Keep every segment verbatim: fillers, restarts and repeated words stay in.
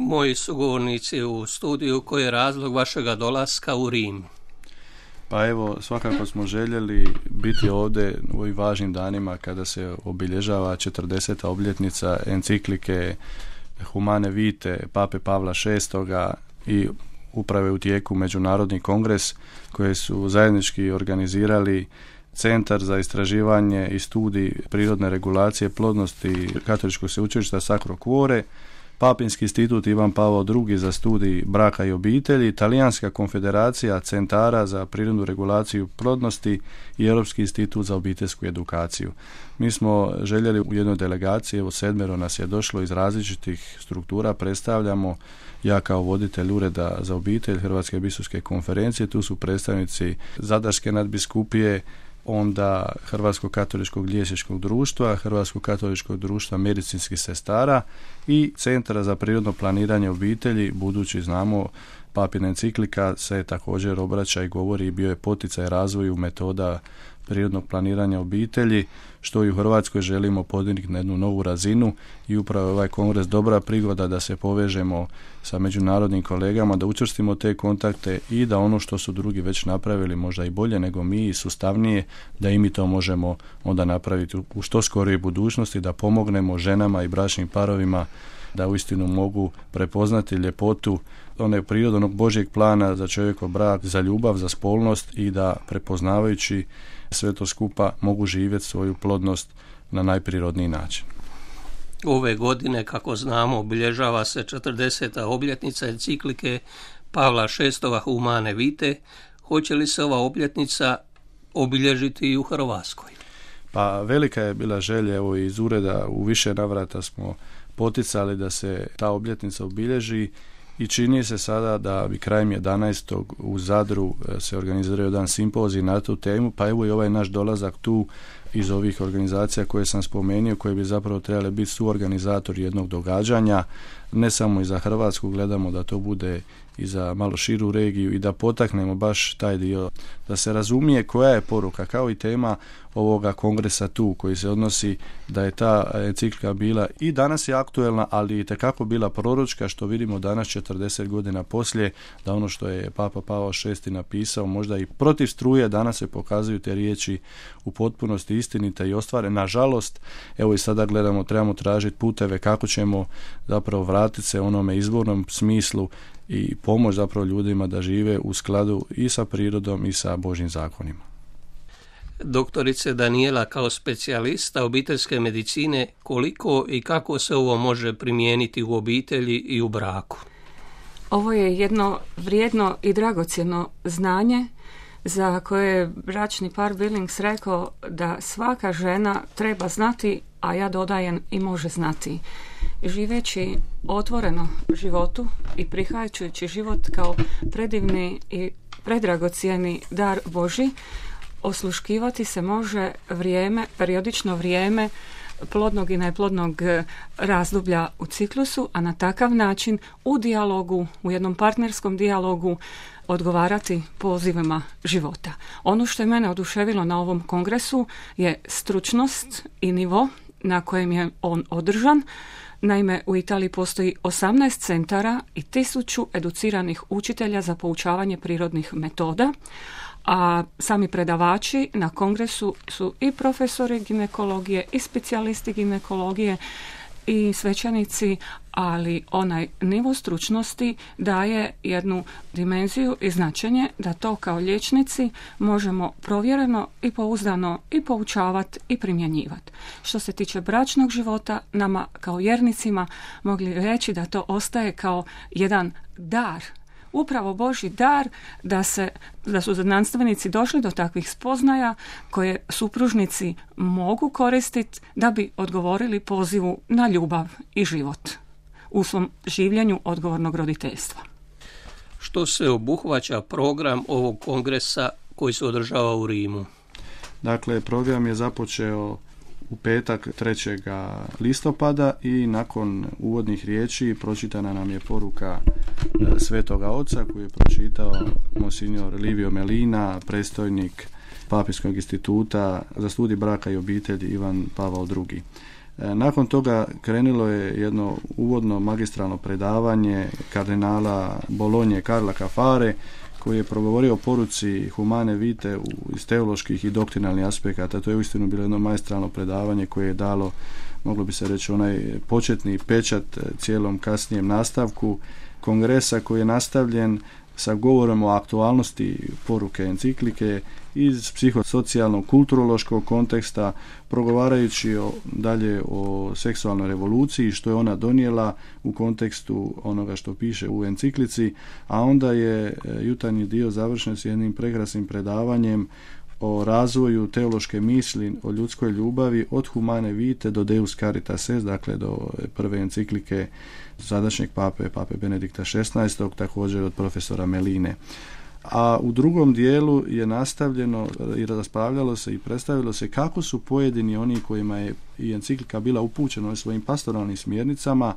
Moji sugovornici u studiju, koji je razlog vašega dolaska u Rim? Pa evo, svakako smo željeli biti ovdje u ovim važnim danima kada se obilježava četrdeseta obljetnica enciklike Humane Vitae Pape Pavla šestoga i upravo je u tijeku međunarodni kongres koji su zajednički organizirali Centar za istraživanje i studij prirodne regulacije plodnosti Katoličkog sveučilišta Sacro Cuore, Papinski institut Ivan Pavao drugi za studij braka i obitelji, Talijanska konfederacija centara za prirodnu regulaciju plodnosti i Europski institut za obiteljsku edukaciju. Mi smo željeli u jednoj delegaciji, evo sedmero nas je došlo iz različitih struktura, predstavljamo ja kao voditelj Ureda za obitelj Hrvatske biskupske konferencije, tu su predstavnici Zadarske nadbiskupije, onda Hrvatskog katoličkog liječničkog društva, Hrvatskog katoličkog društva medicinskih sestara i Centra za prirodno planiranje obitelji, budući znamo papina enciklika se također obraća i govori i bio je poticaj razvoju metoda prirodnog planiranja obitelji, što i u Hrvatskoj želimo podignuti na jednu novu razinu i upravo je ovaj kongres dobra prigoda da se povežemo sa međunarodnim kolegama, da učvrstimo te kontakte i da ono što su drugi već napravili možda i bolje nego mi i sustavnije, da i mi to možemo onda napraviti u što skorijoj budućnosti, da pomognemo ženama i bračnim parovima da uistinu mogu prepoznati ljepotu one prirodnog Božjeg plana za čovjekov brak, za ljubav, za spolnost i da prepoznavajući sve to skupa mogu živjeti svoju plodnost na najprirodniji način. Ove godine, kako znamo, obilježava se četrdeseta obljetnica enciklike Pavla šestoga Humane Vitae. Hoće li se ova obljetnica obilježiti i u Hrvatskoj? Pa velika je bila želja, evo iz ureda u više navrata smo poticali da se ta obljetnica obilježi i čini se sada da bi krajem jedanaestog u Zadru se organizirao jedan simpozij na tu temu, pa evo i ovaj naš dolazak tu iz ovih organizacija koje sam spomenuo, koje bi zapravo trebali biti suorganizatori jednog događanja, ne samo i za Hrvatsku, gledamo da to bude i za malo širu regiju i da potaknemo baš taj dio, da se razumije koja je poruka, kao i tema ovoga kongresa tu, koji se odnosi da je ta enciklika bila i danas je aktuelna, ali i tekako bila proročka, što vidimo danas četrdeset godina poslije, da ono što je Papa Pavao šesti napisao, možda i protiv struje, danas se pokazuju te riječi u potpunosti istinite i ostvare. Nažalost, evo i sada gledamo, trebamo tražiti puteve kako ćemo zapravo vratiti se onome izvornom smislu i pomoć zapravo ljudima da žive u skladu i sa prirodom i sa Božjim zakonima. Doktorice Danijela, kao specijalista obiteljske medicine, koliko i kako se ovo može primijeniti u obitelji i u braku? Ovo je jedno vrijedno i dragocjeno znanje za koje je bračni par Billings rekao da svaka žena treba znati, a ja dodajem i može znati. Živeći otvoreno životu i prihvaćajući život kao predivni i predragocijeni dar Božji, osluškivati se može vrijeme, periodično vrijeme plodnog i neplodnog razdoblja u ciklusu, a na takav način u dijalogu, u jednom partnerskom dijalogu odgovarati pozivima života. Ono što je mene oduševilo na ovom kongresu je stručnost i nivo na kojem je on održan. Naime, u Italiji postoji osamnaest centara i tisuću educiranih učitelja za poučavanje prirodnih metoda, a sami predavači na kongresu su i profesori ginekologije i specijalisti ginekologije i svećenici, ali onaj nivo stručnosti daje jednu dimenziju i značenje da to kao liječnici možemo provjereno i pouzdano i poučavati i primjenjivati. Što se tiče bračnog života, nama kao vjernicima mogli reći da to ostaje kao jedan dar, upravo Božji dar da se, da su znanstvenici došli do takvih spoznaja koje supružnici mogu koristiti da bi odgovorili pozivu na ljubav i život u svom življenju odgovornog roditeljstva. Što se obuhvaća program ovog kongresa koji se održava u Rimu? Dakle, program je započeo u petak trećeg listopada i nakon uvodnih riječi pročitana nam je poruka Svetoga Oca koju je pročitao monsignor Livio Melina, predstojnik Papinskog instituta za studij braka i obitelji Ivan Pavao drugi. Nakon toga krenulo je jedno uvodno magistralno predavanje kardinala Bolonje Karla Cafare, koji je progovorio o poruci Humane Vitae iz teoloških i doktrinalnih aspekata. To je uistinu bilo jedno magistralno predavanje koje je dalo, moglo bi se reći, onaj početni pečat cijelom kasnijem nastavku kongresa, koji je nastavljen sa govorom o aktualnosti poruke enciklike iz psihosocijalnog, kulturološkog konteksta, progovarajući o, dalje o seksualnoj revoluciji, što je ona donijela u kontekstu onoga što piše u enciklici, a onda je jutarnji dio završen s jednim prekrasnim predavanjem o razvoju teološke misli o ljudskoj ljubavi od Humane Vitae do Deus Caritas Est, dakle do prve enciklike sadašnjeg pape, pape Benedikta šesnaestog, također od profesora Meline. A u drugom dijelu je nastavljeno i raspravljalo se i predstavilo se kako su pojedini oni kojima je i enciklika bila upućena svojim pastoralnim smjernicama,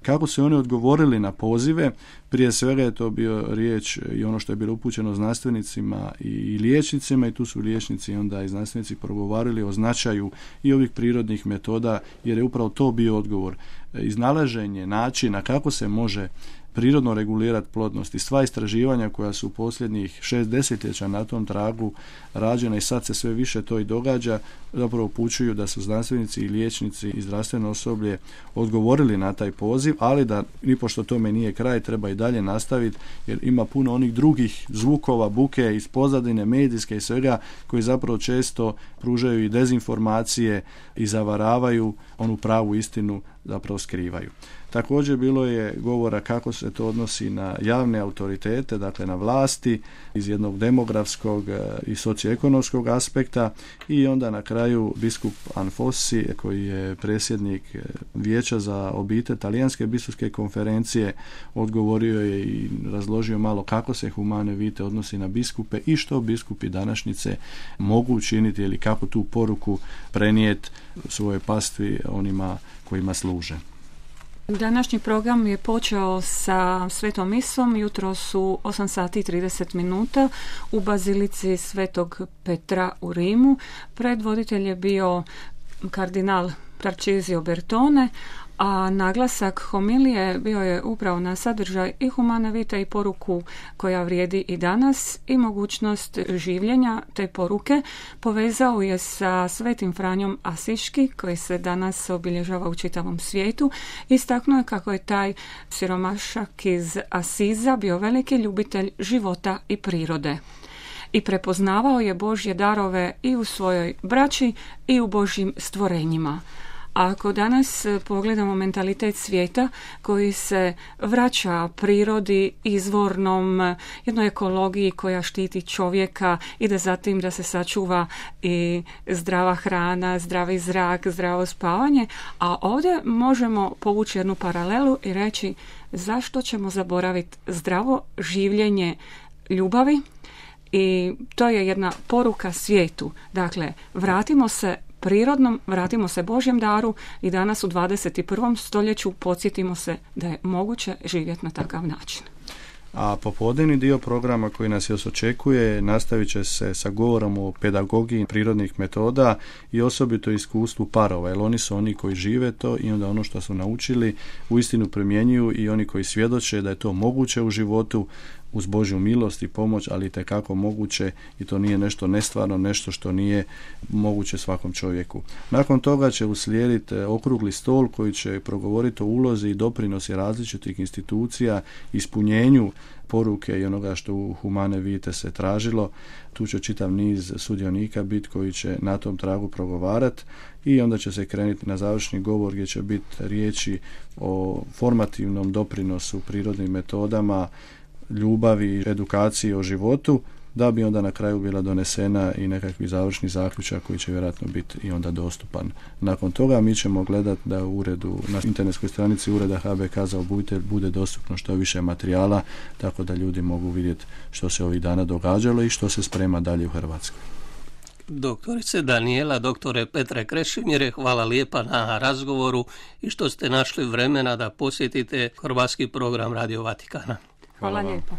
kako su oni odgovorili na pozive. Prije svega je to bio riječ i ono što je bilo upućeno znanstvenicima i liječnicima, i tu su liječnici onda i znanstvenici progovarali o značaju i ovih prirodnih metoda, jer je upravo to bio odgovor. Iznalaženje načina kako se može prirodno regulirati plodnost i sva istraživanja koja su u posljednjih šest desetljeća na tom tragu rađena i sad se sve više to i događa, zapravo upućuju da su znanstvenici i liječnici i zdravstveno osoblje odgovorili na taj poziv, ali da nipošto tome nije kraj, treba i dalje nastaviti, jer ima puno onih drugih zvukova, buke iz pozadine, medijske i svega, koji zapravo često pružaju i dezinformacije i zavaravaju, onu pravu istinu zapravo skrivaju. Također bilo je govora kako se to odnosi na javne autoritete, dakle na vlasti iz jednog demografskog i socioekonomskog aspekta, i onda na kraju biskup Anfossi, koji je predsjednik Vijeća za obitelj Talijanske biskupske konferencije, odgovorio je i razložio malo kako se Humane Vitae odnosi na biskupe i što biskupi današnjice mogu učiniti ili kako tu poruku prenijeti svoje pastvi onima kojima služe. Današnji program je počeo sa svetom misom, jutro su osam sati i trideset minuta u bazilici Svetog Petra u Rimu. Predvoditelj je bio kardinal Tarcisio Bertone, a naglasak homilije bio je upravo na sadržaj i Humane Vitae i poruku koja vrijedi i danas i mogućnost življenja te poruke. Povezao je sa svetim Franjom Asiški, koji se danas obilježava u čitavom svijetu. Istaknuo je kako je taj siromašak iz Asiza bio veliki ljubitelj života i prirode i prepoznavao je Božje darove i u svojoj braći i u Božjim stvorenjima. A ako danas pogledamo mentalitet svijeta koji se vraća prirodi, izvornom, jednoj ekologiji koja štiti čovjeka, ide zatim da se sačuva i zdrava hrana, zdravi zrak, zdravo spavanje, a ovdje možemo povući jednu paralelu i reći zašto ćemo zaboraviti zdravo življenje ljubavi, i to je jedna poruka svijetu. Dakle, vratimo se prirodnom, vratimo se Božjem daru i danas u dvadeset prvom stoljeću podsjetimo se da je moguće živjeti na takav način. A popodnevni dio programa koji nas još očekuje nastavit će se sa govorom o pedagogiji prirodnih metoda i osobito iskustvu parova, jer oni su oni koji žive to i onda ono što su naučili uistinu primjenjuju, i oni koji svjedoče da je to moguće u životu uz Božju milost i pomoć, ali itekako moguće, i to nije nešto nestvarno, nešto što nije moguće svakom čovjeku. Nakon toga će uslijediti okrugli stol koji će progovoriti o ulozi i doprinosi različitih institucija, ispunjenju poruke i onoga što u Humane Vitae se tražilo. Tu će čitav niz sudionika biti koji će na tom tragu progovarati, i onda će se krenuti na završni govor gdje će biti riječi o formativnom doprinosu prirodnim metodama, ljubavi, edukaciji o životu, da bi onda na kraju bila donesena i nekakvi završni zaključak koji će vjerojatno biti i onda dostupan. Nakon toga mi ćemo gledati da u uredu, na internetskoj stranici ureda H B K za obitelj bude dostupno što više materijala, tako da ljudi mogu vidjeti što se ovih dana događalo i što se sprema dalje u Hrvatskoj. Doktorice Danijela, doktore Petre Krešimire, hvala lijepa na razgovoru i što ste našli vremena da posjetite hrvatski program Radio Vatikana. Hvala, hvala lijepo.